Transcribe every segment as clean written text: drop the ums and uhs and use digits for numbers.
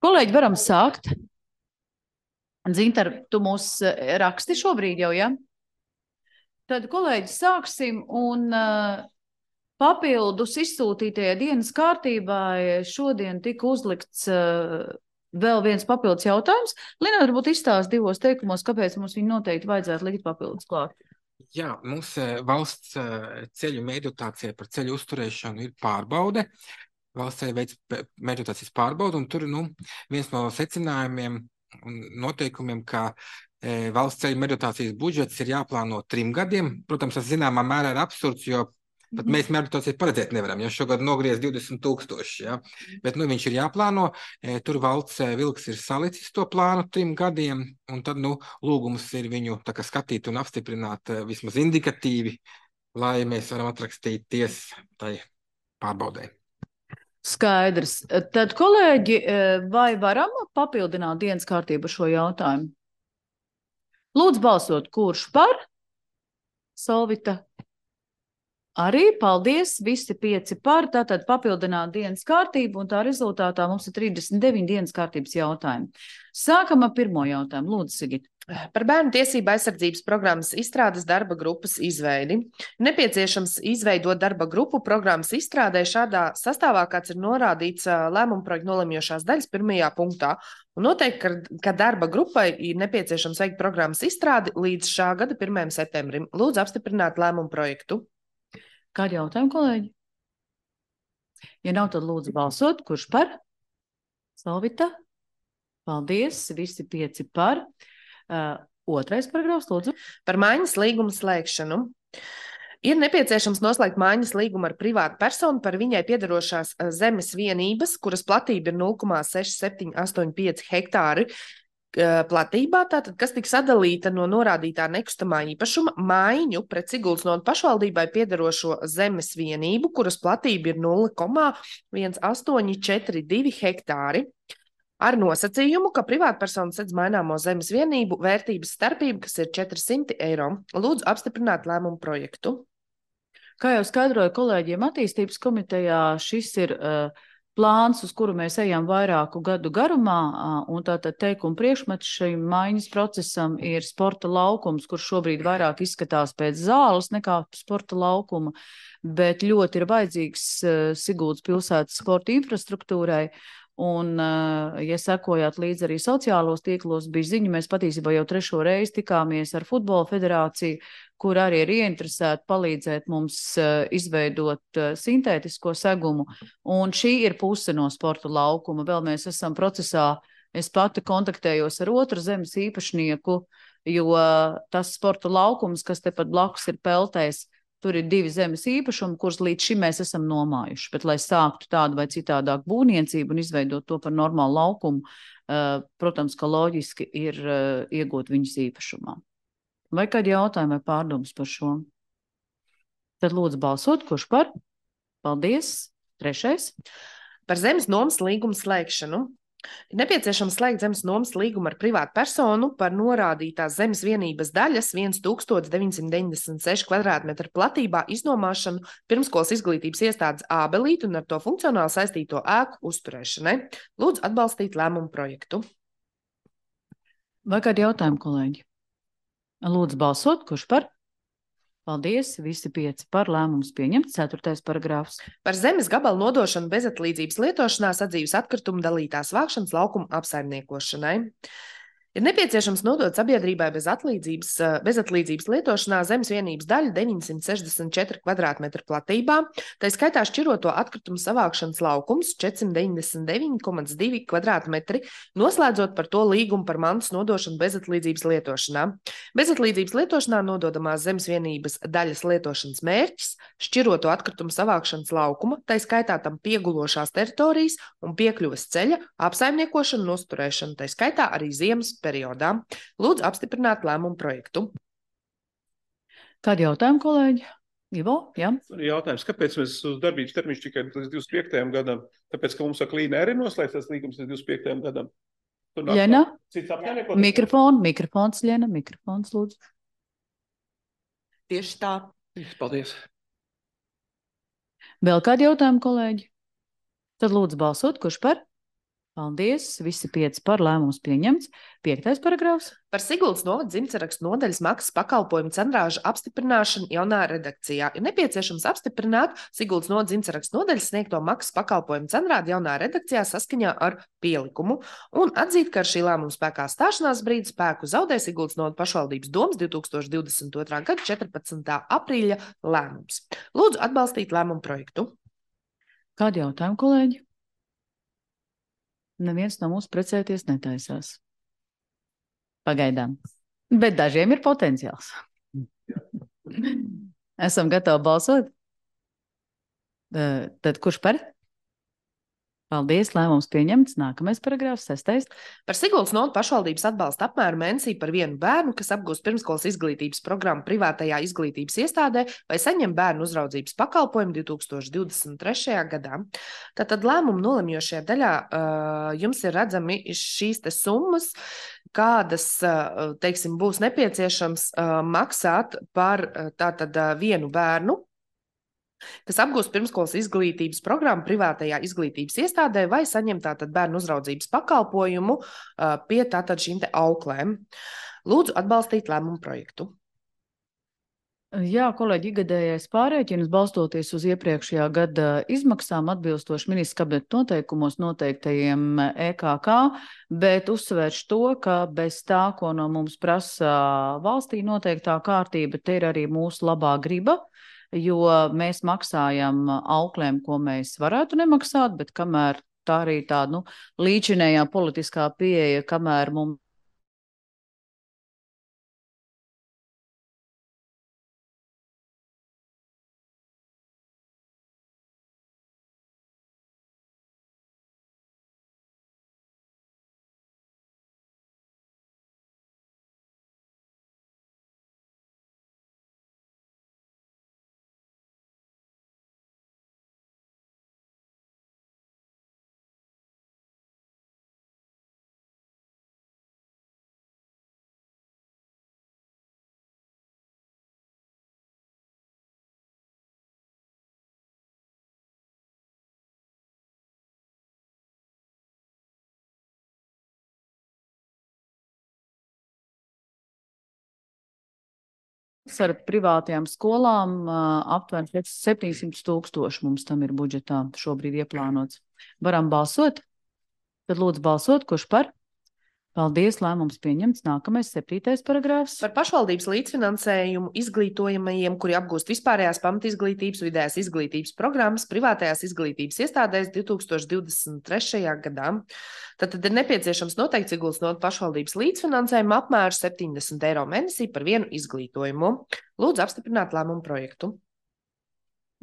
Kolēģi, varam sākt. Dzintar, tu mūs raksti šobrīd jau, ja? Tad, kolēģi, sāksim un papildus izsūtītajai dienas kārtībai šodien tika uzlikts vēl viens papildus jautājums. Lina, varbūt izstāst divos teikumos, kāpēc mums viņu noteikti vajadzētu likt papildus klāt. Jā, mums valsts ceļu mēģinācija par ceļu uzturēšanu ir pārbaude. Valsts ceļu veids mēģinācijas pārbaude, un tur viens no secinājumiem un noteikumiem, ka valsts ceļu mēģinācijas budžets ir jāplāno 3 gadiem. Protams, tas zināmā mērā ir absurds, jo pat mēs mēģinācijas paredzēt nevaram, jo šogad nogriez 20,000, ja? Bet viņš ir jāplāno. Tur valsts vilks ir salicis to plānu 3 gadiem, un tad lūgums ir viņu skatīt un apstiprināt vismaz indikatīvi, lai mēs varam atrakstīties tai pārbaudē. Skaidrs. Tad, kolēģi, vai varam papildināt dienas kārtību šo jautājumu? Lūdzu balsot, kurš par? Solvita. Arī, paldies, visi 5 par, tātad papildināt dienas kārtību, un tā rezultātā mums ir 39 dienas kārtības jautājumi. Sākam ar pirmo jautājumu. Lūdzu, Sigita. Par bērnu tiesību aizsardzības programmas izstrādes darba grupas izveidi. Nepieciešams izveidot darba grupu programmas izstrādē šādā sastāvā, kāds ir norādīts lēmuma projekta nolemjošās daļas 1. punktā. Un noteikti, ka darba grupai ir nepieciešams veikt programmas izstrādi līdz šā gada 1. septembrim. Lūdzu apstiprināt lēmumu projektu. Kādi jautājumi, kolēģi? Ja nav, tad lūdzu balsot. Kurš par? Solvita. Paldies, visi 5 par. Otrais paragrāfs, lūdzu. Par maiņas līgumu slēgšanu. Ir nepieciešams noslēgt maiņas līgumu ar privātu personu par viņai piederošās zemes vienības, kuras platība ir 0,6785 hektāri platībā, tātad, kas tiks sadalīta no norādītā nekustamā īpašuma maiņu pret Sigulsnodu pašvaldībai piederošo zemes vienību, kuras platība ir 0,1842 hektāri, ar nosacījumu, ka privātpersona sedz maināmo zemes vienību vērtības starpību, kas ir 400 eiro. Lūdzu apstiprināt lēmumu projektu. Kā jau skaidroju kolēģiem attīstības komitejā, šis ir plāns, uz kuru mēs ejam vairāku gadu garumā, un tātad teikuma priekšmets šim maiņas procesam ir sporta laukums, kurš šobrīd vairāk izskatās pēc zāles nekā sporta laukuma, bet ļoti ir vajadzīgs Siguldas pilsētas sporta infrastruktūrai. Un, ja sekojāt līdz arī sociālos tīklos, bija ziņa, mēs patiesībā jau 3. reizi tikāmies ar Futbola federāciju, kur arī ir ieinteresēti palīdzēt mums izveidot sintētisko segumu. Un šī ir puse no sporta laukuma. Vēl mēs esam procesā, es pati kontaktējos ar otru zemes īpašnieku, jo tas sporta laukums, kas tepat blakus ir peltēs, tur ir 2 zemes īpašumi, kurus līdz šim mēs esam nomājuši. Bet, lai sāktu tādu vai citādāku būvniecību un izveidot to par normālu laukumu, protams, ka loģiski ir iegūt viņas īpašumā. Vai kādi jautājumi vai pārdomas par šo? Tad lūdzu balsot, kurš par? Paldies. 3. Par zemes nomas līgumu slēgšanu. Ir nepieciešams slēgt zemes nomas līgumu ar privātu personu par norādītās zemes vienības daļas 1996 kvadrātmetru platībā iznomāšanu pirmskolas izglītības iestādes ābelīti un ar to funkcionāli saistīto ēku uzturēšanai. Lūdzu atbalstīt lēmumu projektu. Vai kādi jautājumi, kolēģi? Lūdzu balsot, kurš par? Paldies, visi 5 par, lēmums pieņemts. 4. paragrāfs. Par zemes gabalu nodošanu bezatlīdzības lietošanā sadzīves atkritumu dalītās vākšanas laukuma apsaimniekošanai. Ir nepieciešams nodot sabiedrībai bezatlīdzības lietošanā zemes vienības daļu 964 kvadrātmetru platībā, tā skaitā šķiroto atkritumu savākšanas laukums 499,2 kvadrātmetri, noslēdzot par to līgumu par mantas nodošanu bezatlīdzības lietošanā. Bezatlīdzības lietošanā nododamās zemes vienības daļas lietošanas mērķis šķiroto atkritumu savākšanas laukuma, tā skaitā tam piegulošās teritorijas un piekļuves ceļa apsaimniekošanu un uzturēšanu, tā skaitā arī ziemas periodā. Lūdzu apstiprināt lēmumu projektu. Kādi jautājumi, kolēģi? Ivo, jā? Jautājums, kāpēc mēs uz darbības termiņš tikai līdz 25. gadam? Tāpēc, ka mums ar Klīna arī noslēgts līgums līdz 25. gadam. Ļena? Mikrofons, Ļena, mikrofons, lūdzu. Tieši tā. Paldies. Vēl kādi jautājumi, kolēģi? Tad lūdzu balsot, kurš par? Paldies, visi 5 par, lēmums pieņemts. 5. paragrāfs. Par Siguldas novada dzimtsarakstu nodaļas maksas pakalpojumu centrāžu apstiprināšanu jaunā redakcijā. Ir nepieciešams apstiprināt Siguldas novada dzimtsarakstu nodaļas sniegto maksas pakalpojumu centrādi jaunā redakcijā saskaņā ar pielikumu un atzīt, ka ar šī lēmuma spēkā stāšanās brīdi spēku zaudē Siguldas novada pašvaldības domas 2022. gada 14. aprīļa lēmums. Lūdzu atbalstīt lēmumu projektu. Kādi jautājumi, kolēģi? Neviens no mums precēties netaisās. Pagaidām. Bet dažiem ir potenciāls. Esam gatavi balsot? Tad kurš par? Paldies, lēmums pieņemts. Nākamais paragrāfs, 6. Par Siguldas novada pašvaldības atbalsta apmēru mēnesī par vienu bērnu, kas apgūst pirmskolas izglītības programmu privātajā izglītības iestādē vai saņem bērnu uzraudzības pakalpojumu 2023. gadā. Tātad lēmumu nolemjošajā daļā jums ir redzami šīs te summas, kādas, teiksim, būs nepieciešams maksāt par tātad vienu bērnu, kas apgūst pirmskolas izglītības programmu privātajā izglītības iestādē vai saņem tātad bērnu uzraudzības pakalpojumu pie tātad šīm te auklēm. Lūdzu atbalstīt lēmumu projektu. Jā, kolēģi, ikgadējais pārrēķins balstoties uz iepriekšējā gada izmaksām atbilstoši ministra kabineta noteikumos noteiktajiem EKK, bet uzsvērš to, ka bez tā, ko no mums prasa valstī noteiktā kārtība, te ir arī mūsu labā griba, jo mēs maksājam auklēm, ko mēs varētu nemaksāt, bet kamēr tā arī tā, līdzinējā politiskā pieeja, kamēr mums ar privātajām skolām aptuveni 700 000 mums tam ir budžetā šobrīd ieplānots. Varam balsot? Tad lūdzu balsot, kurš par? Paldies, lēmums pieņemts. Nākamais 7. paragrāfs. Par pašvaldības līdzfinansējumu izglītojamajiem, kuri apgūst vispārējās pamatizglītības, vidējās izglītības programmas privātajās izglītības iestādēs 2023. gadā. Tad ir nepieciešams noteikt Siguldas novada pašvaldības līdzfinansējumu apmēru 70 eiro mēnesī par vienu izglītojumu. Lūdzu apstiprināt lēmumu projektu.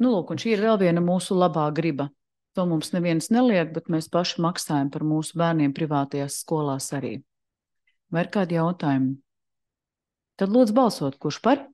Lūk, un šī ir vēl viena mūsu labā griba. To mums neviens neliek, bet mēs paši maksājam par mūsu bērniem privātajās skolās arī. Vai ir kādi jautājumi? Tad lūdzu balsot, kurš par?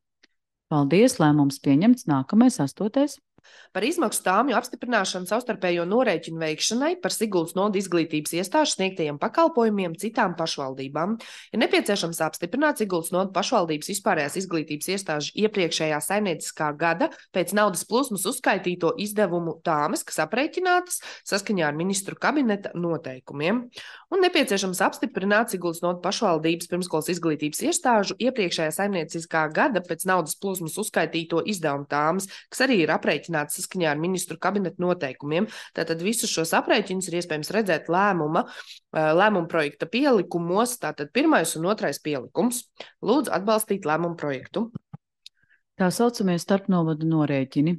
Paldies, lēmums pieņemts. Nākamais 8. Par izmaksu tāmju apstiprināšanu savstarpējo norēķinu veikšanai par Siguldas novada izglītības iestāžu sniegtajiem pakalpojumiem citām pašvaldībām. Ir nepieciešams apstiprināt Siguldas novada pašvaldības vispārējās izglītības iestāžu iepriekšējā saimnieciskā gada pēc naudas plūsmas uzskaitīto izdevumu tāmes, kas aprēķinātas saskaņā ar ministru kabineta noteikumiem. Un nepieciešams apstiprināt Siguldas novada pašvaldības pirmskolas izglītības iestāžu iepriekšējā saimnieciskā gada pēc naudas plūsmas uzskaitīto izdevumu tāmes, kas arī ir aprēķinātas saskaņā ar ministru kabineta noteikumiem. Tātad visus šos aprēķinus ir iespējams redzēt lēmuma projekta pielikumos, tātad 1. un 2. pielikums. Lūdzu atbalstīt lēmumu projektu. Tā saucamie starpnovadu norēķini.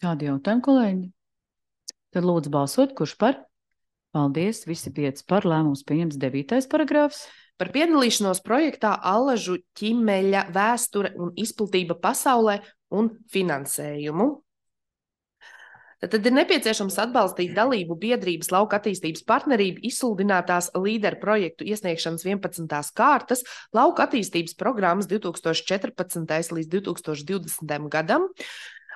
Kādi jautājumi, kolēģi? Tad lūdzu balsot, kurš par? Paldies, visi 5 par, lēmums pieņems 9. paragrāfs. Par piedalīšanos projektā Allažu ķimeļa vēsture un izplatība pasaulē un finansējumu. Tad ir nepieciešams atbalstīt dalību biedrības lauka attīstības partnerību izsludinātās līderu projektu iesniegšanas 11. kārtas lauka attīstības programmas 2014. līdz 2020. gadam.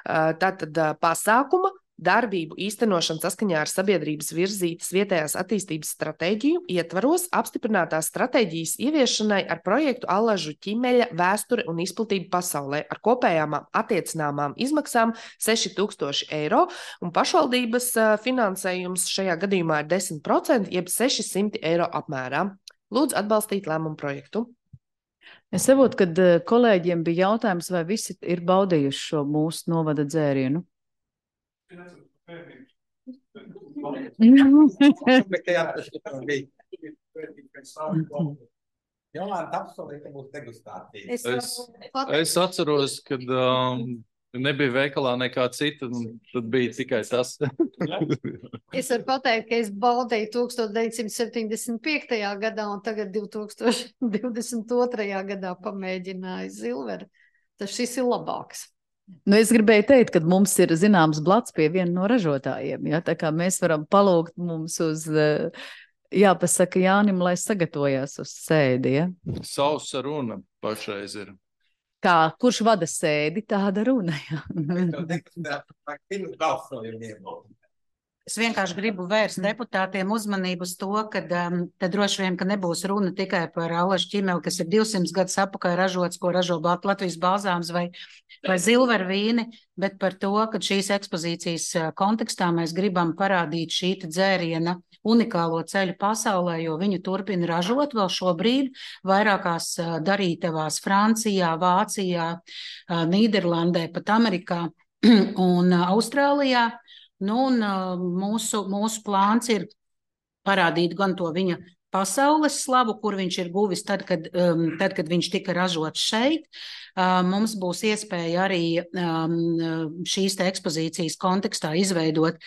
Tātad pasākuma darbību īstenošanu saskaņā ar sabiedrības virzītas vietējās attīstības stratēģiju ietvaros apstiprinātās stratēģijas ieviešanai ar projektu Allažu ķimeļa vēsture un izplatība pasaulē ar kopējām attiecināmām izmaksām 6,000 eiro, un pašvaldības finansējums šajā gadījumā ir 10%, jeb 600 eiro apmērā. Lūdzu atbalstīt lēmumu projektu. Es saprotu, ka kolēģiem bija jautājums, vai visi ir baudījuši šo mūsu novada dzērienu. Es atceros, kad nebija veikalā nekā cita, un tad bija tikai tas. Es varu pateikt, ka es baudēju 1975. gadā un tagad 2022. gadā pamēģināju Zilveri. Tas šis ir labāks. Nu, es gribēju teikt, ka mums ir zināms blats pie viena no ražotājiem. Ja? Tā kā mēs varam palūgt mums uz, jāpasaka Jānim, lai sagatavojās uz sēdi. Ja? Sausa runa pašreiz ir. Kā, kurš vada sēdi, tāda runa. Ja? Es vienkārši gribu vērst deputātiem uzmanību uz to, ka droši vien, ka nebūs runa tikai par Allažu ķimeli, kas ir 200 gadus apakaļ ražots, ko ražo Latvijas balzāms vai Zilveru vīni, bet par to, ka šīs ekspozīcijas kontekstā mēs gribam parādīt šī dzēriena unikālo ceļu pasaulē, jo viņu turpina ražot vēl šobrīd vairākās darītavās Francijā, Vācijā, Nīderlandē, pat Amerikā un Austrālijā. Nu, un mūsu plāns ir parādīt gan to viņa pasaules slavu, kur viņš ir guvis tad, kad viņš tika ražots šeit. Mums būs iespēja arī šīs ekspozīcijas kontekstā izveidot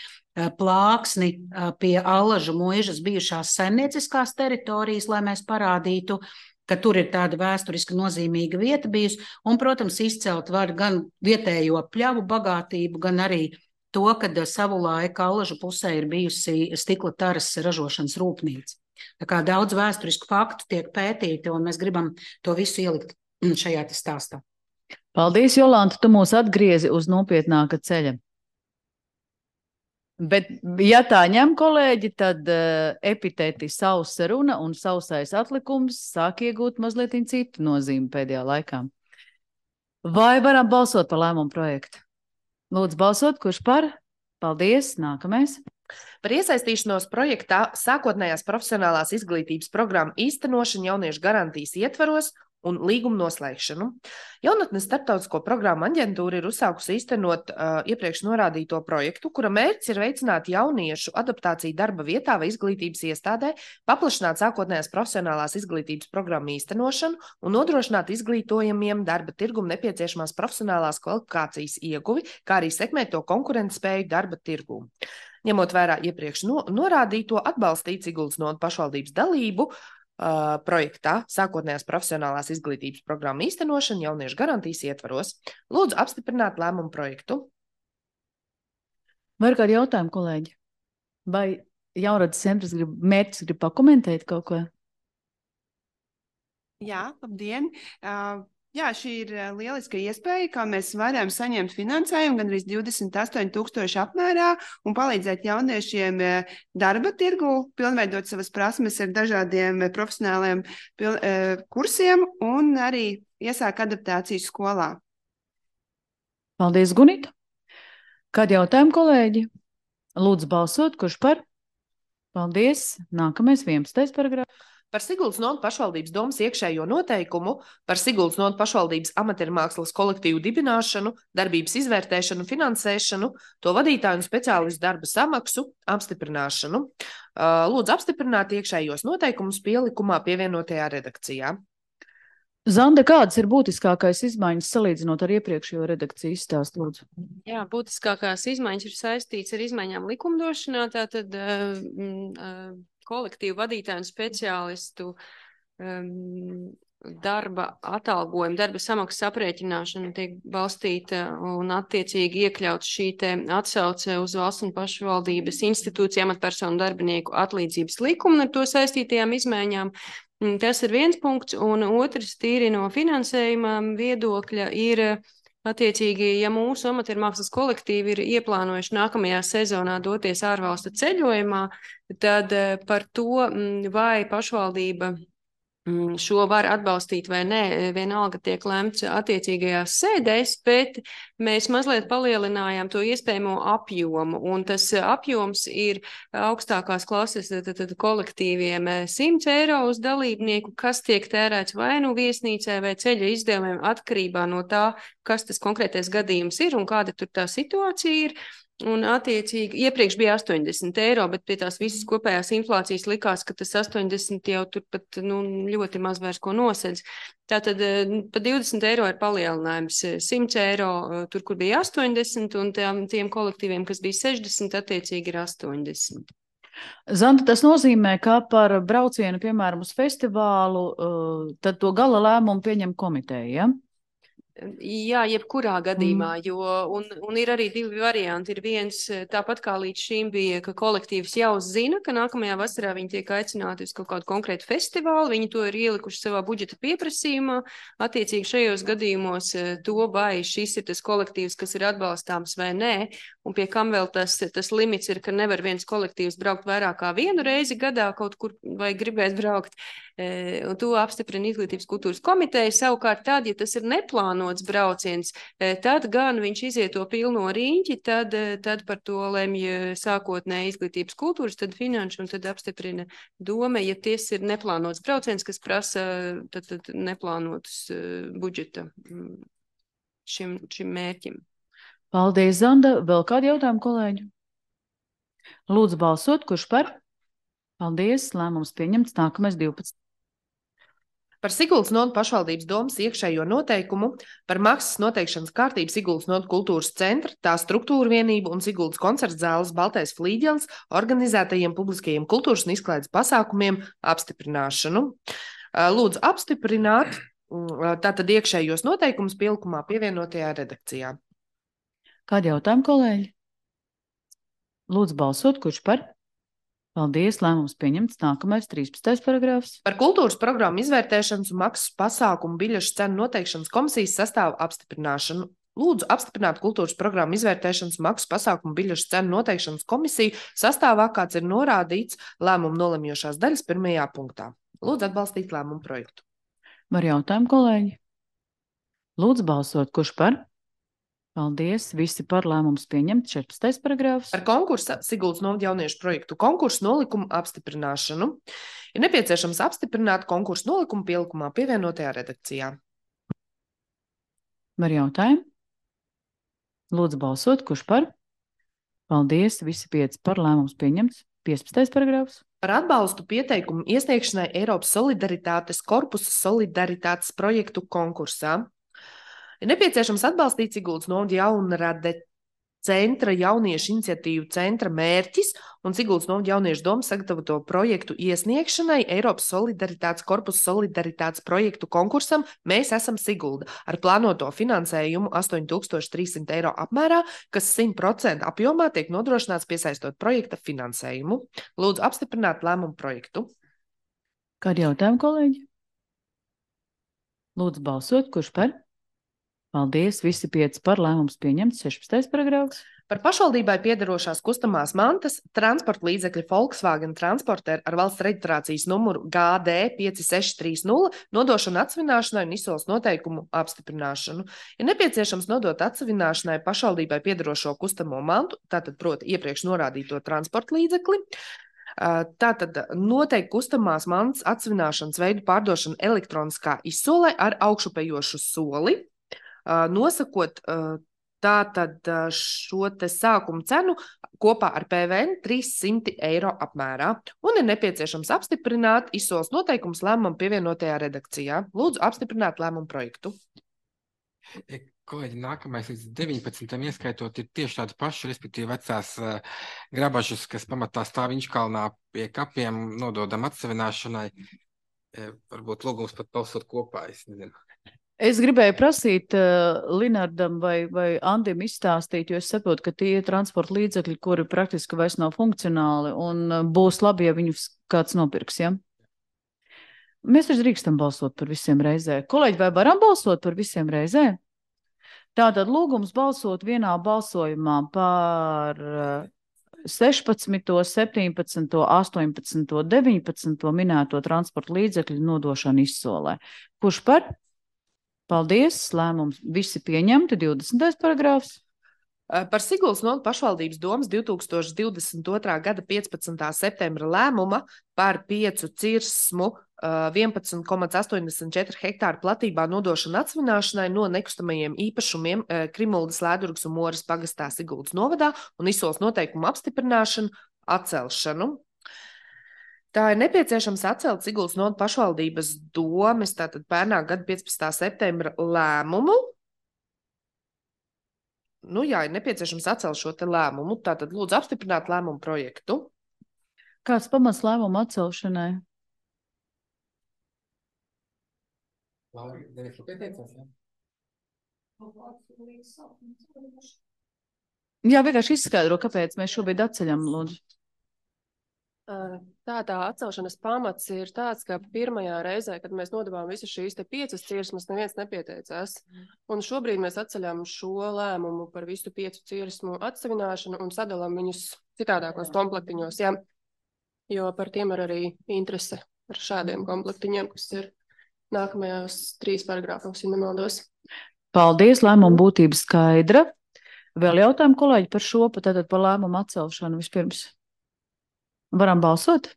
plāksni pie Allažu muižas bijušās saimnieciskās teritorijas, lai mēs parādītu, ka tur ir tāda vēsturiski nozīmīga vieta bijusi, un, protams, izcelt var gan vietējo pļavu bagātību, gan arī to, kad savulaik Allažu pusē ir bijusi stikla taras ražošanas rūpnīca. Tā kā daudz vēsturisku faktu tiek pētīti, un mēs gribam to visu ielikt šajā stāstā. Paldies, Jolanta, tu mūs atgriezi uz nopietnāka ceļa. Bet, ja tā ņem kolēģi, tad epitēti sausa runa un sausais atlikums sāk iegūt mazliet citu nozīmi pēdējā laikā. Vai varam balsot par lēmumu projektu? Lūdzu balsot, kurš par? Paldies, nākamais. Par iesaistīšanos projektā sākotnējās profesionālās izglītības programmu īstenošanu jauniešu garantijas ietvaros un līgumu noslēgšanu. Jaunatnes starptautisko programmu aģentūra ir uzsākusi īstenot iepriekš norādīto projektu, kura mērķis ir veicināt jauniešu adaptāciju darba vietā vai izglītības iestādē, paplašināt sākotnējās profesionālās izglītības programmu īstenošanu un nodrošināt izglītojamiem darba tirgumu nepieciešamās profesionālās kvalifikācijas ieguvi, kā arī sekmēt to konkurentspēju darba tirgū. Ņemot vērā iepriekš norādīto, atbalstīt Siguldas novada pašvaldības dalību projektā sākotnējās profesionālās izglītības programmu īstenošana jauniešu garantijas ietvaros. Lūdzu apstiprināt lēmumu projektu. Vai ir kādi jautājumi, kolēģi? Vai Jaunradas centrs mērķis grib pakomentēt kaut ko? Jā, labdien! Jā, šī ir lieliska iespēja, kā mēs varam saņemt finansējumu gandrīz 28,000 apmērā un palīdzēt jauniešiem darba tirgu, pilnveidot savas prasmes ar dažādiem profesionāliem kursiem un arī iesāk adaptāciju skolā. Paldies, Gunita! Kādi jautājumi, kolēģi? Lūdzu balsot, kurš par? Paldies! Nākamais 11. paragrāfs. Par Siguldas novada pašvaldības domas iekšējo noteikumu, par Siguldas novada pašvaldības amatiermākslas kolektīvu dibināšanu, darbības izvērtēšanu, finansēšanu, to vadītāju un speciālistu darba samaksu, apstiprināšanu. Lūdzu apstiprināt iekšējos noteikumus pielikumā pievienotajā redakcijā. Zande, kādas ir būtiskākais izmaiņas salīdzinot ar iepriekšējo redakciju izstāstu, lūdzu? Jā, būtiskākās izmaiņas ir saistīts ar izmaiņām likumdošanā, tātad kolektīvu vadītāju un speciālistu darba atalgojumu, darba samaksas aprēķināšana tiek balstīta un attiecīgi iekļaut šī te atsauce uz valsts un pašvaldības institūciju amatpersonu darbinieku atlīdzības likumu un ar to saistītajām izmaiņām. Tas ir viens punkts, un otrs tīri no finansējuma viedokļa ir Attiecīgi, ja mūsu amatiermākslas kolektīvi ir ieplānojuši nākamajā sezonā doties ārvalstu ceļojumā, tad par to, vai pašvaldība šo var atbalstīt vai nē, vienalga tiek lemts attiecīgajās sēdēs, bet mēs mazliet palielinājām to iespējamo apjomu, un tas apjoms ir augstākās klases kolektīviem 100 eiro uz dalībnieku, kas tiek tērēts vai nu viesnīcai vai ceļa izdevumiem atkarībā no tā, kas tas konkrētais gadījums ir un kāda tur tā situācija ir. Un attiecīgi, iepriekš bija 80 eiro, bet pie tās visas kopējās inflācijas likās, ka tas 80 jau turpat ļoti maz vairs ko nosedz. Tātad pa 20 eiro ir palielinājums 100 eiro, tur, kur bija 80, un tiem kolektīviem, kas bija 60, attiecīgi ir 80. Zanta, tas nozīmē, ka par braucienu, piemēram, uz festivālu, tad to gala lēmumu pieņem komiteja, ja? Jā, jebkurā gadījumā, un ir arī divi varianti. Ir viens, tāpat kā līdz šim bija, ka kolektīvs jau zina, ka nākamajā vasarā viņi tiek aicināti uz kaut kādu konkrētu festivālu, viņi to ir ielikuši savā budžeta pieprasījumā. Attiecīgi šajos gadījumos to, vai šis ir tas kolektīvs, kas ir atbalstāms vai nē, un pie kam vēl tas limits ir, ka nevar viens kolektīvs braukt vairāk kā vienu reizi gadā kaut kur vai gribēt braukt, un to apstiprina Izglītības kultūras komiteja. Savukārt tad, ja tas ir neplānots brauciens, tad gan viņš iziet to pilno riņķi, tad par to lemj sākotnēji Izglītības kultūras, tad finanšu un tad apstiprina doma, ja ties ir neplānots brauciens, kas prasa tad neplānotus budžeta šim mērķim. Paldies, Zanda. Vēl kādi jautājumi, kolēģi? Lūdzu balsot, kurš par? Paldies, lēmums pieņemts, nākamais 12. Par Siguldas nodu pašvaldības domas iekšējo noteikumu par maksas noteikšanas kārtību Siguldas nodu kultūras centra, tā struktūra vienību un Siguldas koncerts zāles Baltais flīģelis organizētajiem publiskajiem kultūras un izklaides pasākumiem apstiprināšanu. Lūdzu apstiprināt tātad iekšējos noteikumus pielikumā pievienotajā redakcijā. Kādi jautājumi, kolēģi? Lūdzu balsot, kurš par? Paldies, lēmums pieņemts. Nākamais 13. paragrāfs. Par kultūras programmu izvērtēšanas un maksas pasākumu biļešu cenu noteikšanas komisijas sastāvu apstiprināšanu. Lūdzu apstiprināt kultūras programmu izvērtēšanas un maksas pasākumu biļešu cenu noteikšanas komisiju sastāvā, kāds ir norādīts lēmumu nolemjošās daļas 1. punktā. Lūdzu atbalstīt lēmumu projektu. Var jautājumu, kolēģi? Lūdzu balsot, kurš par? Paldies, visi par, lēmums pieņemts. 14. paragrāfs. Par konkursa Siguldas novada jauniešu projektu konkursu nolikumu apstiprināšanu ir nepieciešams apstiprināt konkursu nolikumu pielikumā pievienotajā redakcijā. Var jautājumu? Lūdzu balsot, kurš par? Paldies, visi 5 par, lēmums pieņemts. 15. paragrāfs. Par atbalstu pieteikumu iesniegšanai Eiropas solidaritātes korpusa solidaritātes projektu konkursā ir nepieciešams atbalstīt Siguldas novada jaunrade centra jauniešu iniciatīvu centra mērķis un Siguldas novada jauniešu doma sagatavoto projektu iesniegšanai Eiropas solidaritātes korpusa solidaritātes projektu konkursam Mēs esam Sigulda ar plānoto finansējumu 8300 eiro apmērā, kas 100% apjomā tiek nodrošināts piesaistot projekta finansējumu. Lūdzu apstiprināt lēmumu projektu. Kādi jautājumi, kolēģi? Lūdzu balsot, kurš par? Paldies, visi 5 par, lēmums pieņemts. 16. paragrāfs. Par pašvaldībai piederošās kustamās mantas transporta līdzekļa Volkswagen Transporter ar valsts reģistrācijas numuru GD 5630 nodošanu atsevināšanai un izsoles noteikumu apstiprināšanu. Ir nepieciešams nodot atsevināšanai pašvaldībai piederošo kustamo mantu, tātad proti iepriekš norādīto transporta līdzekli. Tātad noteikti kustamās mantas atsevināšanas veidu pārdošana elektroniskā izsolē ar augšupējošu soli, nosakot tātad šo te sākumu cenu kopā ar PVN 300 eiro apmērā. Un ir nepieciešams apstiprināt izsoles noteikumus lēmumam pievienotajā redakcijā. Lūdzu apstiprināt lēmumu projektu. Kolēģi, nākamais līdz 19. ieskaitot ir tieši tādi paši, respektīvi vecās grabažas, kas pamatā stāv Inčkalnā pie kapiem, nododam atsevināšanai. Varbūt lūgums pat balsot kopā, es nezinu. Es gribēju prasīt Linardam vai Andim izstāstīt, jo es saprotu, ka tie ir transporta līdzekļi, kuri praktiski vairs nav funkcionāli un būs labi, ja viņus kāds nopirks, ja? Mēs taču drīkstam balsot par visiem reizē. Kolēģi, vai varam balsot par visiem reizē? Tātad lūgums balsot vienā balsojumā par 16., 17., 18., 19. minēto transporta līdzekļu nodošanu izsolē. Kurš par? Paldies, lēmums visi pieņemti. 20. paragrāfs. Par Siguldas nodu pašvaldības domas 2022. gada 15. septembra lēmuma par 5 cirsmu 11,84 hektāru platībā nodošanu atsvināšanai no nekustamajiem īpašumiem Krimuldas, Lēdurgas un Moras pagastā Siguldas novadā un izsoles noteikumu apstiprināšanu atcelšanu. Tā ir nepieciešams atcelt Siguldas nodu pašvaldības domas, tātad pērnā gada 15. septembra lēmumu. Nu jā, ir nepieciešams atcelt šo te lēmumu, tātad lūdzu apstiprināt lēmumu projektu. Kāds pamats lēmumu atcelšanai? Jā, vienkārši izskaidro, kāpēc mēs šobrīd atceļam, lūdzu. Tā atcelšanas pamats ir tāds, ka pirmajā reizē, kad mēs nodevām visas šīs 5 cirsmas, neviens nepieteicās. Un šobrīd mēs atceļam šo lēmumu par visu 5 cirsmu atsevināšanu un sadalām viņus citādākos komplektiņos. Jā. Jo par tiem ir arī interese ar šādiem komplektiņiem, kas ir nākamajās 3 paragrāfos, ja nemaldos. Paldies, lēmuma būtība skaidra. Vēl jautājumu, kolēģi, par šo, tātad par lēmumu atcelšanu vispirms. Varam balsot?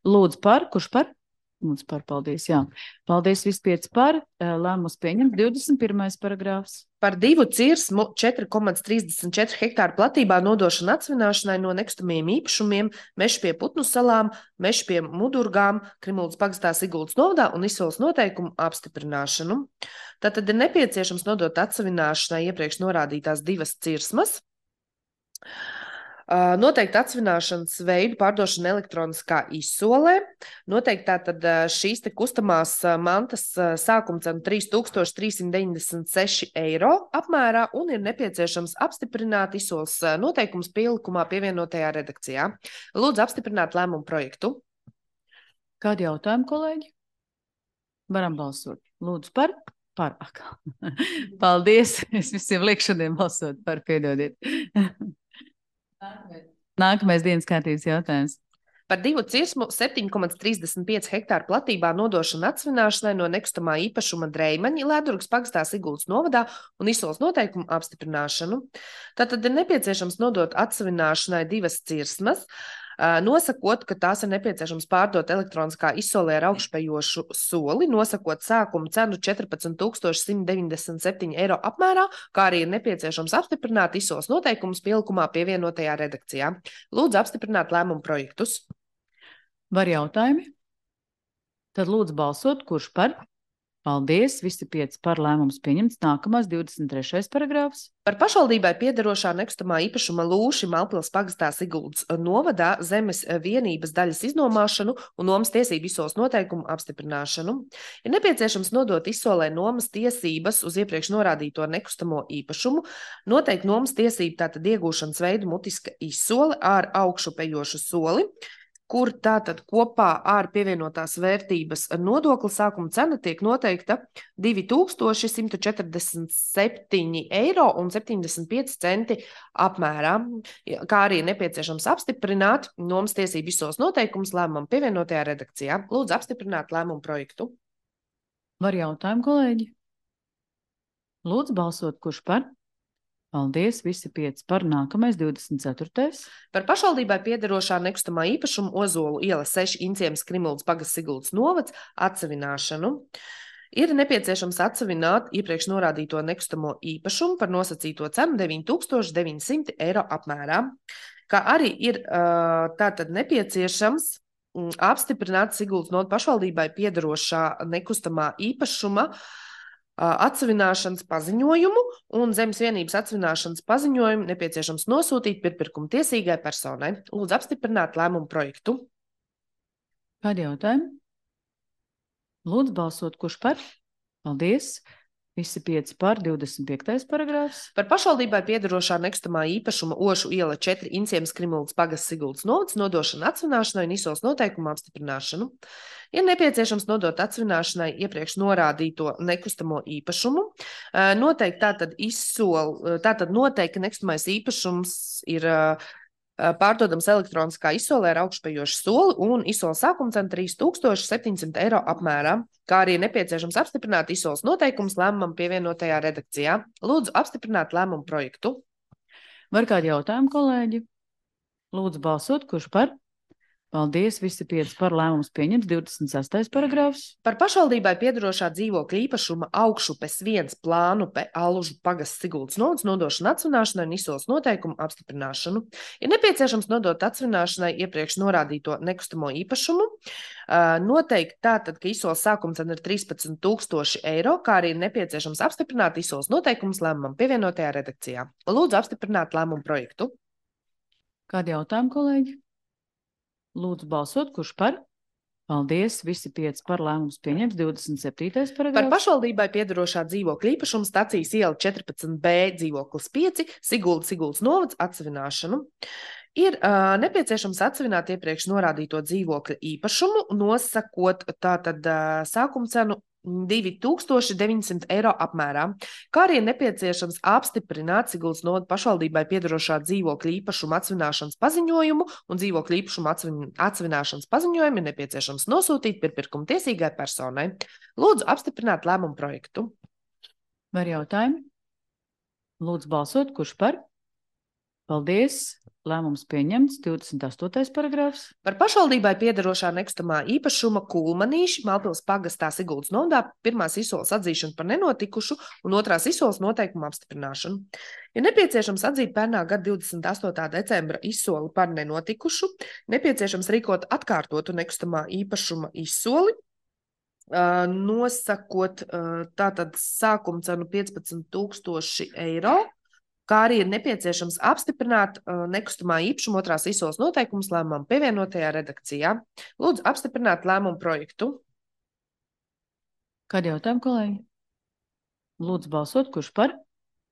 Lūdzu par, kurš par? Lūdzu par, paldies, jā. Paldies, visi 5 par, lēmums pieņemt. 21. paragrāfs. Par 2 cirsmu 4,34 hektāru platībā nodošanu atsvināšanai no nekustamajiem īpašumiem Meža pie Putnu salām, Meža pie Mudurgām, Krimuldas pagastā Siguldas novadā un izsoles noteikumu apstiprināšanu. Tātad ir nepieciešams nodot atsvināšanai iepriekš norādītās 2 cirsmas. Noteikti atsvināšanas veidu pārdošana elektroniskā izsolē. Noteikti tātad šīs te kustamās mantas sākuma cena 3396 eiro apmērā un ir nepieciešams apstiprināt izsoles noteikums pielikumā pievienotajā redakcijā. Lūdzu apstiprināt lēmumu projektu. Kādi jautājumi, kolēģi? Varam balsot. Lūdzu par? Par. Paldies. Es visiem lieku šodien balsot par, piedodiet. Nākamais dienas kārtības jautājums. Par 2 cirsmu 7,35 hektāru platībā nodošanu atsvināšanai no nekustamā īpašuma Dreimaņi, Lēdurgas pagastā Siguldas novadā un izsoles noteikumu apstiprināšanu. Tātad ir nepieciešams nodot atsvināšanai 2 cirsmas, nosakot, ka tās ir nepieciešams pārdot elektroniskā izsolē ar augšupejošu soli, nosakot sākumu cenu 14,197 eiro apmērā, kā arī ir nepieciešams apstiprināt izsoles noteikumus pielikumā pievienotajā redakcijā. Lūdzu apstiprināt lēmumu projektus. Var jautājumi? Tad lūdzu balsot, kurš par? Paldies, visi 5 par, lēmums pieņemts. Nākamais 23. paragrāfs. Par pašvaldībai piederošā nekustamā īpašuma Lūši Malpils pagastā Siguldas novadā zemes vienības daļas iznomāšanu un nomas tiesību izsoles noteikumu apstiprināšanu. Ir nepieciešams nodot izsolē nomas tiesības uz iepriekš norādīto nekustamo īpašumu, noteikt nomas tiesību tātad iegūšanas veidu mutiska izsole ar augšupejošu soli, kur tātad kopā ar pievienotās vērtības nodokli sākuma cena tiek noteikta 2147 eiro un 75 centi apmērā, kā arī nepieciešams apstiprināt nomas tiesību izsoles noteikumus lēmumam pievienotajā redakcijā. Lūdzu apstiprināt lēmumu projektu. Var jautājumu, kolēģi? Lūdzu balsot, kurš par? Paldies, visi 5 par. Nākamais 24. Par pašvaldībai piederošā nekustamā īpašuma Ozolu iela 6 Inciemas Krimuldas pagasts Siguldas novads atsevināšanu. Ir nepieciešams atsevināt iepriekš norādīto nekustamo īpašumu par nosacīto cenu 9900 eiro apmērā, kā arī ir tātad nepieciešams apstiprināt Siguldas nodu pašvaldībai piederošā nekustamā īpašuma atsevināšanas paziņojumu un zemes vienības atsevināšanas paziņojumu nepieciešams nosūtīt pirpirkuma tiesīgai personai. Lūdzu apstiprināt lēmumu projektu. Kādi jautājumi? Lūdzu balsot, kurš par? Paldies. Visi 5 par 25. paragrāfs. Par pašvaldībai piederošā nekustamā īpašuma Ošu iela 4 Inciemas Krimuldas pagasts Siguldas novads nodošanu atsvināšanai un izsoles noteikumu apstiprināšanu. Ir nepieciešams nodot atsvināšanai iepriekš norādīto nekustamo īpašumu. Tātad noteikti nekustamais īpašums ir pārdodams elektroniskā izsolē ar augšupejošu soli un izsoles sākuma cena 3700 eiro apmērā, kā arī nepieciešams apstiprināt izsoles noteikumus lēmumam pievienotajā redakcijā. Lūdzu apstiprināt lēmumu projektu. Var kādi jautājumi, kolēģi? Lūdzu balsot, kurš par? Paldies, visi 5 par lēmums pieņems. 26. paragrāfs. Par pašvaldībai piederošā dzīvokļa īpašuma augšupes 1 Plānupe Alužu pagasts Siguldas novads nodošanu atsvināšanai un izsoles noteikumu apstiprināšanu. Ir nepieciešams nodot atsvināšanai iepriekš norādīto nekustamo īpašumu. Noteikti tātad, ka izsoles sākuma cena ir 13,000 eiro, kā arī ir nepieciešams apstiprināt izsoles noteikumus lēmumam pievienotajā redakcijā. Lūdzu apstiprināt lēmumu projektu. Kādi jautājumi, kolēģi? Lūdzu balsot, kurš par? Paldies, visi 5 par lēmums pieņems. 27. paragrāfs. Par pašvaldībai piederošā dzīvokļa īpašuma stacijas iela 14B dzīvoklis 5 Siguldas novads atsvināšanu. Ir nepieciešams atsvināt iepriekš norādīto dzīvokļa īpašumu, nosakot tātad sākuma cenu 2900 eiro apmērā, kā arī ir nepieciešams apstiprināt Siguldas novada pašvaldībai piederošā dzīvokļa īpašuma atsvināšanas paziņojumu un dzīvokļa īpašuma atsvināšanas paziņojumu ir nepieciešams nosūtīt pirpirkuma tiesīgai personai. Lūdzu apstiprināt lēmumu projektu. Var jautājumi? Lūdzu balsot, kurš par? Paldies. Lēmums pieņemts. 28. paragrāfs. Par pašvaldībai piederošā nekustamā īpašuma Kulmanīši Malpils pagastā Siguldas novadā pirmās izsoles atzīšanu par nenotikušu un otrās izsoles noteikumu apstiprināšanu. Ir nepieciešams atzīt pērnā gada 28. decembra izsoli par nenotikušu, nepieciešams rīkot atkārtotu nekustamā īpašuma izsoli, nosakot tātad sākuma cenu 15,000 eiro, kā arī ir nepieciešams apstiprināt nekustamā īpašuma otrās izsoles noteikumus lēmumam pievienotajā redakcijā. Lūdzu apstiprināt lēmumu projektu. Kādi jautājumi, kolēģi? Lūdzu balsot, kurš par?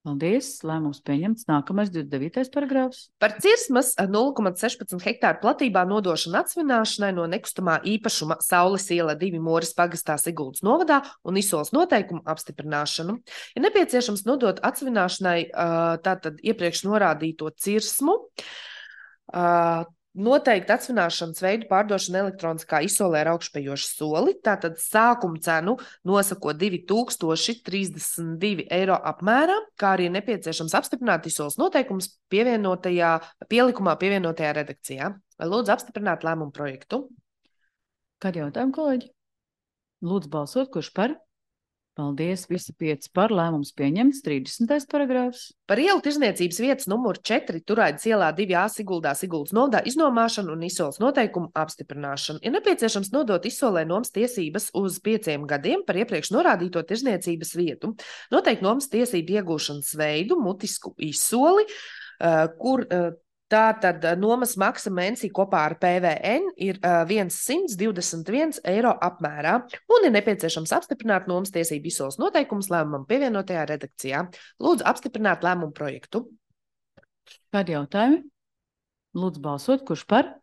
Paldies, lēmums pieņemts. Nākamais 29. paragrāfs. Par cirsmas 0,16 hektāru platībā nodošanu atsvināšanai no nekustamā īpašuma Saules iela 2 Moris pagastā Siguldas novadā un izsoles noteikumu apstiprināšanu. Ir nepieciešams nodot atsvināšanai tātad iepriekš norādīto cirsmu, noteikti atsvināšanas veidu pārdošana elektroniskā izsolē ar augšupejošu soli, tātad sākuma cenu nosakot 2032 eiro apmērā, kā arī nepieciešams apstiprināt izsoles noteikumus pielikumā pievienotajā redakcijā. Lūdzu apstiprināt lēmumu projektu. Kādi jautājumi, kolēģi? Lūdzu balsot, kurš par? Paldies, visi 5 par lēmums pieņemts. 30. paragrāfs. Par ielu tirzniecības vietas numuru 4 Turaidas ielā 2A Siguldas novadā iznomāšanu un izsoles noteikumu apstiprināšanu. Ir nepieciešams nodot izsolē nomas tiesības uz 5 gadiem par iepriekš norādīto tirzniecības vietu, noteikt nomas tiesību iegūšanas veidu, mutisku izsoli, kur tātad nomas maksa mēnesī kopā ar PVN ir 121 eiro apmērā un ir nepieciešams apstiprināt nomas tiesību izsoles noteikumus lēmumam pievienotajā redakcijā. Lūdzu apstiprināt lēmumu projektu. Kādi jautājumi? Lūdzu balsot, kurš par?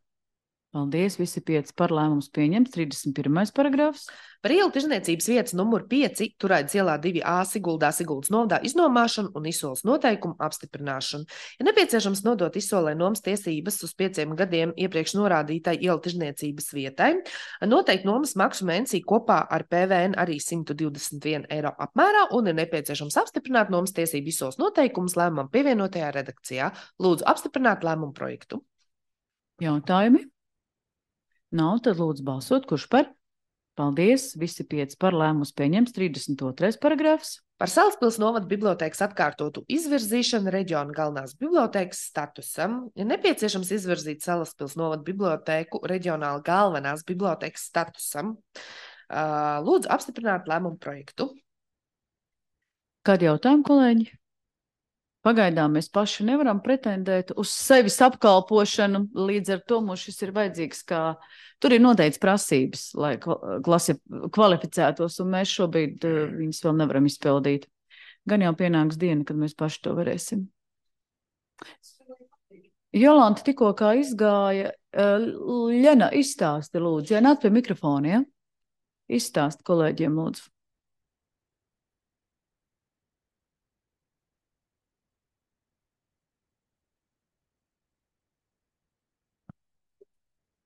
Paldies, visi 5 par lēmums pieņemts. 31. paragrāfs. Par ielu tirzniecības vietas numuru 5 Turaidas ielā 2A Siguldas novadā iznomāšanu un izsoles noteikumu apstiprināšanu. Ir nepieciešams nodot izsolē nomas tiesības uz 5 gadiem iepriekš norādītai ielu tirzniecības vietai, noteikt nomas maksu mēnesī kopā ar PVN arī 121 eiro apmērā un ir nepieciešams apstiprināt nomas tiesību izsoles noteikumus lēmumam pievienotajā redakcijā. Lūdzu apstiprināt lēmumu projektu. Jautājumi? Nav, tad lūdzu balsot, kurš par? Paldies, visi 5 par lēmums pieņems. 32. paragrāfs. Par Salaspils novada bibliotēkas atkārtotu izvirzīšanu reģiona galvenās bibliotēkas statusam ir nepieciešams izvirzīt Salaspils novada bibliotēku reģionāla galvenās bibliotēkas statusam. Lūdzu apstiprināt lēmumu projektu. Kādi jautājumi, kolēģi? Pagaidām mēs paši nevaram pretendēt uz sevis apkalpošanu, līdz ar to mums šis ir vajadzīgs, kā tur ir noteikts prasības, lai kvalificētos, un mēs šobrīd viņas vēl nevaram izpildīt. Gan jau pienāks diena, kad mēs paši to varēsim. Jolanta tikko kā izgāja. Ļena, izstāsti, lūdzu. Ja nāk pie mikrofona, ja? Izstāsti kolēģiem, lūdzu.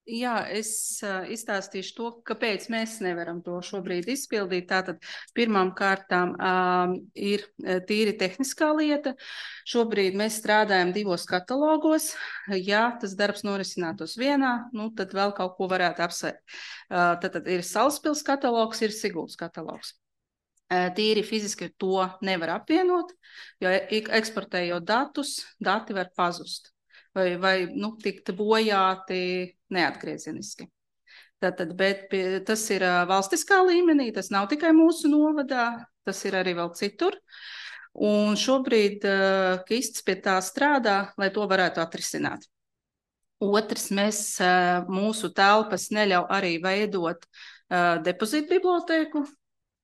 Jā, es izstāstīšu to, kāpēc mēs nevaram to šobrīd izpildīt. Tātad pirmām kārtām ir tīri tehniskā lieta. Šobrīd mēs strādājam 2 katalogos. Ja tas darbs norisinātos vienā, tad vēl kaut ko varētu apsvērt. Tad ir Salaspils katalogs, ir Siguldas katalogs. Tīri fiziski to nevar apvienot, jo eksportējot datus, dati var pazust. Vai tikt bojāti neatgriezeniski. Bet tas ir valstiskā līmenī, tas nav tikai mūsu novadā, tas ir arī vēl citur. Un šobrīd Kists pie tā strādā, lai to varētu atrisināt. Otrs, mūsu telpas neļauj arī veidot depozītu bibliotēku.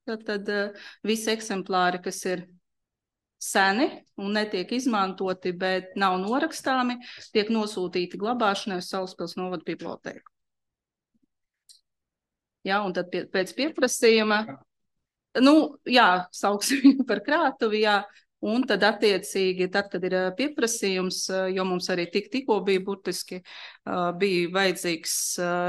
Tad visi eksemplāri, kas ir seni un netiek izmantoti, bet nav norakstāmi, tiek nosūtīti glabāšanai uz Salaspils novada bibliotēku. Jā, un tad pēc pieprasījuma, sauksim viņu par krātuvi, jā, un tad attiecīgi, tad, kad ir pieprasījums, jo mums arī tikko bija burtiski, bija vajadzīgs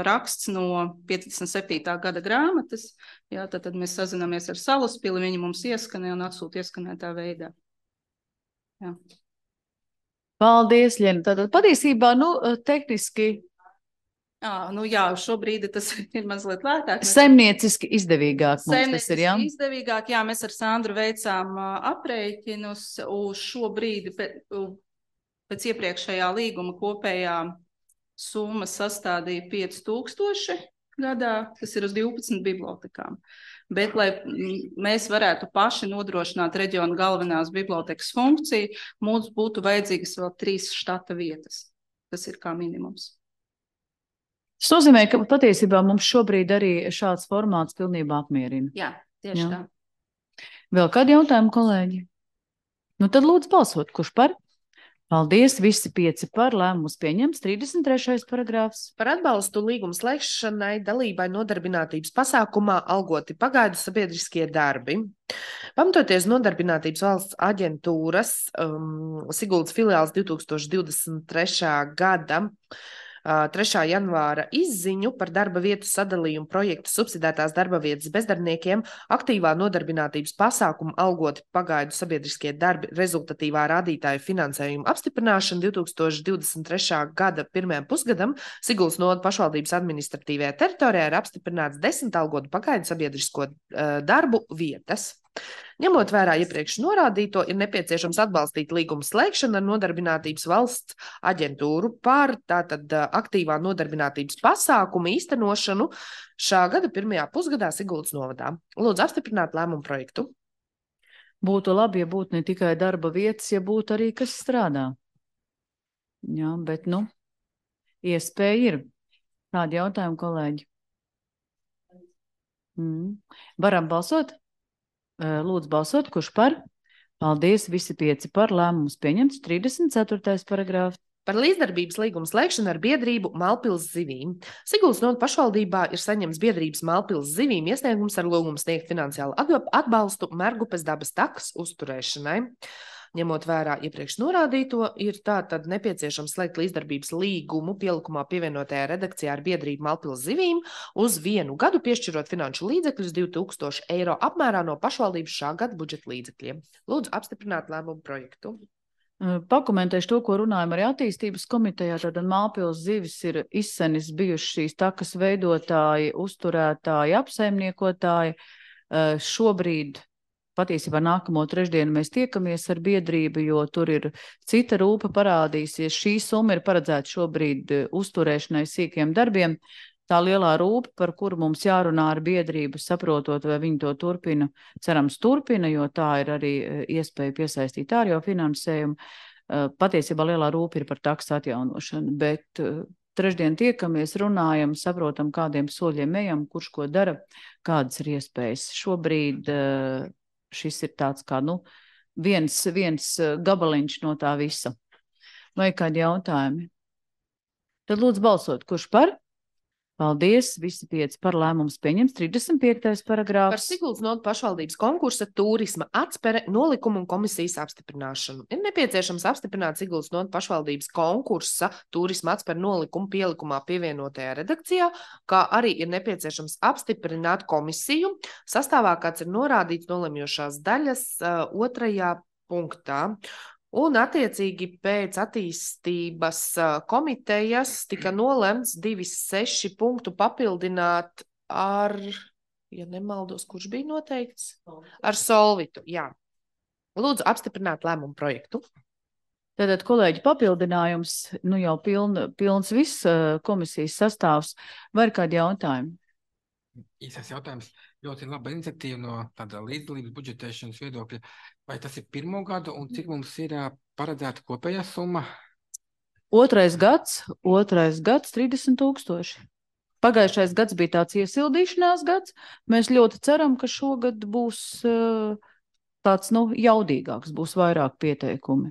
raksts no 57. gada grāmatas, jā, tad mēs sazināmies ar Salaspili, viņi mums ieskanē un atsūta ieskanētā veidā. Jā. Paldies, Ļena. Tātad patiesībā, tehniski... šobrīd tas ir mazliet lētāk. Saimnieciski izdevīgāk mums tas ir, jā? Izdevīgāk, jā, mēs ar Sandru veicām aprēķinus uz šo brīdi pēc iepriekšējā līguma kopējā summa sastādīja 5000 gadā, tas ir uz 12 bibliotekām. Bet, lai mēs varētu paši nodrošināt reģionu galvenās bibliotekas funkciju, mums būtu vajadzīgas vēl 3 štata vietas. Tas ir kā minimums. Tas nozīmē, ka patiesībā mums šobrīd arī šāds formāts pilnībā apmierina. Jā, tieši tā. Vēl kādi jautājumi, kolēģi? Tad lūdzu balsot, kurš par? Paldies, visi 5 par, lēmums pieņemts, 33. paragrāfs. Par atbalstu līguma slēgšanai dalībai nodarbinātības pasākumā algoti pagaidu sabiedriskie darbi. Pamatoties Nodarbinātības valsts aģentūras Siguldas filiāls 2023. gada 3. janvāra izziņu par darba vietu sadalījumu projektu subsidētās darba vietas bezdarbniekiem, aktīvā nodarbinātības pasākumu algoti pagaidu sabiedriskie darbi rezultatīvā rādītāju finansējumu apstiprināšanu 2023. gada 1. pusgadam Siguldas novada pašvaldības administratīvajā teritorijā ir apstiprināts 10 algotu pagaidu sabiedrisko darbu vietas. Ņemot vērā iepriekš norādīto, ir nepieciešams atbalstīt līguma slēgšanu ar Nodarbinātības valsts aģentūru par tātad aktīvā nodarbinātības pasākumu īstenošanu šā gada 1. pusgadā Siguldas novadā. Lūdzu apstiprināt lēmumu projektu. Būtu labi, ja būtu ne tikai darba vietas, ja būtu arī kas strādā. Jā, bet iespēja ir. Kādi jautājumi, kolēģi? Varam balsot? Lūdzu balsot, kurš par? Paldies, visi 5 par, lēmums pieņemts, 34. paragrāfs. Par līdzdarbības līgumu slēgšanu ar biedrību Malpils zivīm. Siguldas novada pašvaldībā ir saņemts biedrības Malpils zivīm iesniegums ar lūgumu sniegt finansiālu atbalstu Mergupes dabas takas uzturēšanai. Ņemot vērā iepriekš norādīto, ir tātad nepieciešams slēgt līdzdarbības līgumu pielikumā pievienotajā redakcijā ar biedrību Malpils zivīm uz 1 gadu, piešķirot finanšu līdzekļus 2000 eiro apmērā no pašvaldības šā gada budžeta līdzekļiem. Lūdzu apstiprināt lēmumu projektu. Pakomentēšu to, ko runājam arī attīstības komitejā. Tātad Malpils zivis ir izsenis bijuši šīs takas veidotāji, uzturētāji, apsaimniekotāji. Šobrīd patiesībā nākamo trešdienu mēs tiekamies ar biedrību, jo tur ir cita rūpa parādīsies. Šī summa ir paredzēta šobrīd uzturēšanai sīkiem darbiem. tā lielā rūpe, par kuru mums jārunā ar biedrību, saprotot, vai viņi to turpina, cerams turpina, jo tā ir arī iespēja piesaistīt ārējo finansējumu. Patiesībā lielā rūpe ir par taksu atjaunošanu, bet trešdien tiekamies, runājam, saprotam, kādiem soļiem ejam, kurš ko dara, kādas ir iespējas. Šobrīd šis ir tāds kā, viens gabaliņš no tā visa. Vai kādi jautājumi? Tad lūdzu balsot, kurš par? Paldies, visi 5 par lēmums pieņems. 35. paragrāfs. Par Siguldas nodu pašvaldības konkursa turisma atspere nolikumu un komisijas apstiprināšanu. Ir nepieciešams apstiprināt Siguldas nodu pašvaldības konkursa turisma atspere nolikumu pielikumā pievienotajā redakcijā, kā arī ir nepieciešams apstiprināt komisiju sastāvā, kāds ir norādīts nolemjošās daļas 2. punktā. Un attiecīgi pēc attīstības komitejas tika nolemts 2.6 punktu papildināt ar, ja nemaldos, kurš bija noteikts? Ar Solvitu, jā. Lūdzu apstiprināt lēmumu projektu. Tātad, kolēģi, papildinājums, jau pilns viss komisijas sastāvs. Vai ir kādi jautājumi? Īsais jautājums. Ļoti laba iniciatīva no tāda līdzdalības budžetēšanas viedokļa. Vai tas ir pirmo gadu un cik mums ir paredzēta kopējā summa? Otrais gads 30 000. Pagājušais gads bija tāds iesildīšanās gads. Mēs ļoti ceram, ka šogad būs tāds, jaudīgāks, būs vairāk pieteikumi.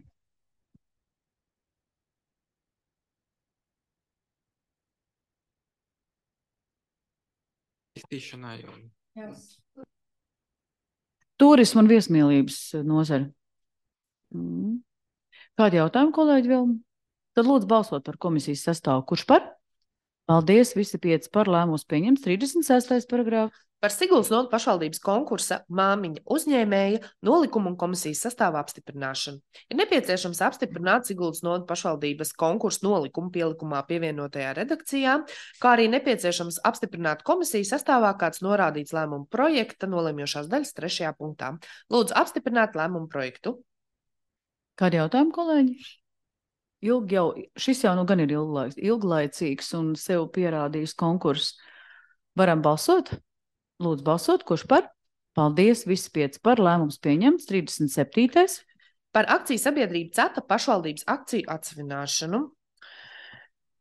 Iztīšanai un... Turisma un viesmīlības nozara. Kādi jautājumi, kolēģi, vēl? Tad lūdzu balsot par komisijas sastāvu. Kurš par? Paldies, visi 5 par lēmums pieņems. 36. paragrāfs. Par Siguldas nodu pašvaldības konkursa māmiņa uzņēmēja nolikumu un komisijas sastāvu apstiprināšanu. Ir nepieciešams apstiprināt Siguldas nodu pašvaldības konkursa nolikumu pielikumā pievienotajā redakcijā, kā arī nepieciešams apstiprināt komisijas sastāvā, kāds norādīts lēmumu projekta nolemjošās daļas 3. punktā. Lūdzu apstiprināt lēmumu projektu. Kādi jautājumi, kolēģi? Šis jau gan ir ilglaicīgs un sev pierādījis konkurss. Varam balsot? Lūdzu balsot, kurš par? Paldies, visi 5 par lēmums pieņemts. 37. Par akciju sabiedrību CETA pašvaldības akciju atsevināšanu.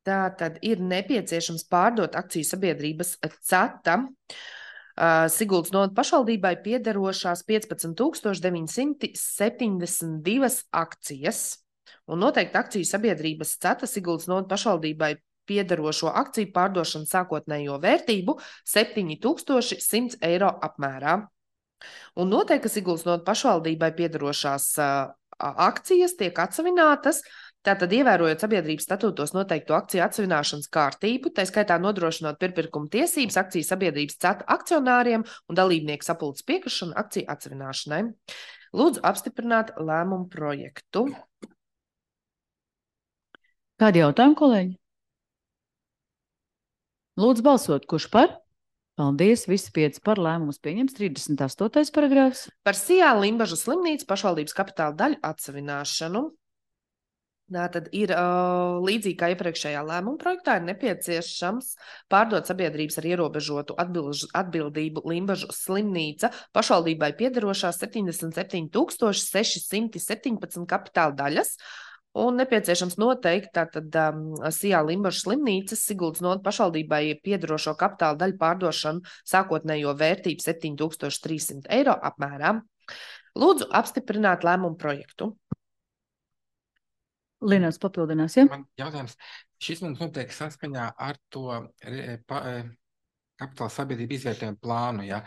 Tātad ir nepieciešams pārdot akciju sabiedrības CETA Siguldas nodu pašvaldībai piederošās 15 972 akcijas. Un noteikti akciju sabiedrības CETA Siguldas nodu pašvaldībai piederošo akciju pārdošanu sākotnējo vērtību 7100 eiro apmērā. Un noteikti, ka Siguldas nodu pašvaldībai piederošās akcijas tiek atsevinātas, tātad ievērojot sabiedrības statūtos noteikto akciju atsevināšanas kārtību, tā skaitā nodrošinot pirmpirkuma tiesības akciju sabiedrības CETA akcionāriem un dalībnieku sapulces piekrišanu akciju atsevināšanai. Lūdzu apstiprināt lēmumu projektu. Kādi jautājumi, kolēģi? Lūdzu balsot, kurš par? Paldies, visi 5 par lēmumus pieņems. 38. paragrāfs. Par Sijā Limbažu slimnīcu pašvaldības kapitāla daļu atsevināšanu. Tātad ir līdzīgi kā iepriekšējā lēmuma projektā, ir nepieciešams pārdot sabiedrības ar ierobežotu atbildību Limbažu slimnīca pašvaldībai piederošās 77 617 kapitāla daļas. Un nepieciešams noteikt tātad Sijā Limbažu slimnīcas Siguldas nodu pašvaldībai piederošo kapitāla daļu pārdošanu sākotnējo vērtību 7300 eiro apmērā. Lūdzu apstiprināt lēmumu projektu. Linās papildinās, ja? Man jautājums. Šis mums notiek saskaņā ar to kapitāla sabiedrību izvērtējumu plānu, ja?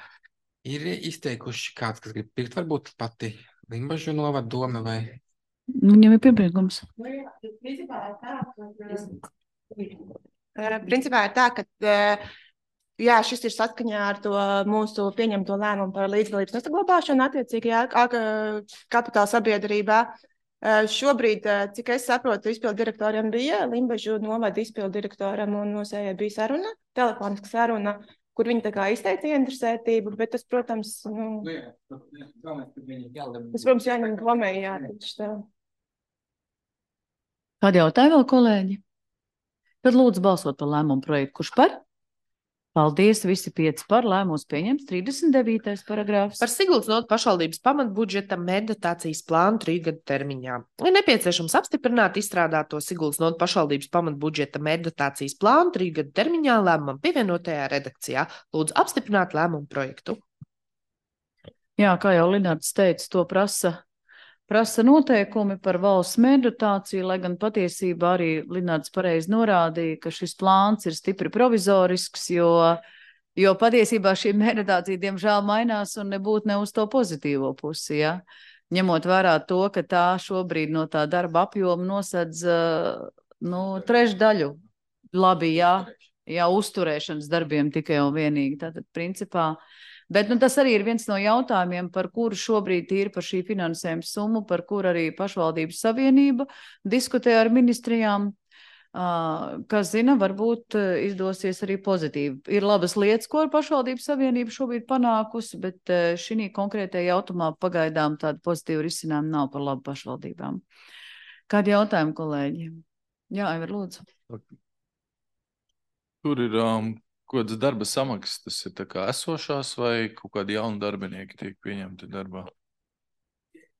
Ir izteikuši kāds, kas grib pirkt, varbūt pati Limbažu novada doma vai... Viņam ir piepriekums. Principā ir tā, ka jā, šis ir saskaņā ar to mūsu pieņemto lēmumu par līdzdalības nesaglabāšanu attiecīgajā kapitāla sabiedrībā. Šobrīd, cik es saprotu, izpildu direktoram bija Limbažu novada izpildu direktoram un nosējai bija saruna, telefoniska saruna, kur viņi tā kā izteica interesētību, bet tas, protams, jāņem domē, jā. Kādi jautājumi vēl, kolēģi? Tad lūdzu balsot par lēmumu projektu. Kurš par? Paldies, visi 5 par lēmums pieņems 39. paragrāfs. Par Siguldas nodu pašvaldības pamatbudžeta meditācijas plānu 3 gadu termiņā. Ir nepieciešams apstiprināt izstrādāto Siguldas nodu pašvaldības pamatbudžeta meditācijas plānu 3 gadu termiņā lēmumam pievienotajā redakcijā. Lūdzu apstiprināt lēmumu projektu. Jā, kā jau Linārds teica, to prasa noteikumi par valsts meditāciju, lai gan patiesībā arī Linārds pareizi norādīja, ka šis plāns ir stipri provizorisks, jo patiesībā šī meditācija diemžēl mainās un nebūtu ne uz to pozitīvo pusi, ja? Ņemot vērā to, ka tā šobrīd no tā darba apjoma nosedz trešdaļu. Labi, jā, uzturēšanas darbiem tikai un vienīgi. Tātad principā. Bet tas arī ir viens no jautājumiem, par kuru šobrīd ir par šī finansējuma summu, par kuru arī pašvaldības savienība diskutē ar ministrijām, kas zina, varbūt izdosies arī pozitīvi. Ir labas lietas, ko ar pašvaldības savienību šobrīd panākusi, bet šī konkrētajā jautājumā pagaidām tāda pozitīva risinājuma nav par labu pašvaldībām. Kādi jautājumi, kolēģi? Jā, Aivar, lūdzu. Tur ir kādas darba samaksas, tas ir tā kā esošās vai kaut kādi jauni darbinieki tiek pieņemti darbā?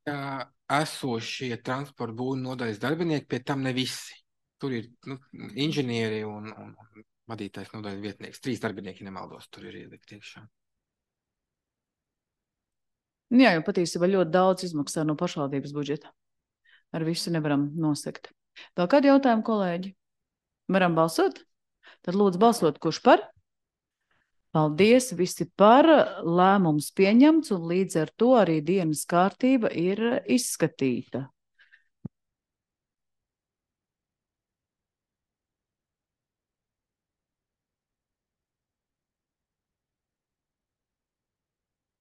Esošie transporta būvniecības nodaļas darbinieki, pie tam ne visi. Tur ir inženieri un vadītājs nodaļas vietnieks. 3 darbinieki nemaldos, tur ir ielikt iekšā. Jā, jo patiesībā ļoti daudz izmaksā no pašvaldības budžeta. Ar visu nevaram nosekt. Vēl kādi jautājumi, kolēģi? Varam balsot? Tad lūdzu balsot, kurš par? Paldies, visi par, lēmums pieņemts un līdz ar to arī dienas kārtība ir izskatīta.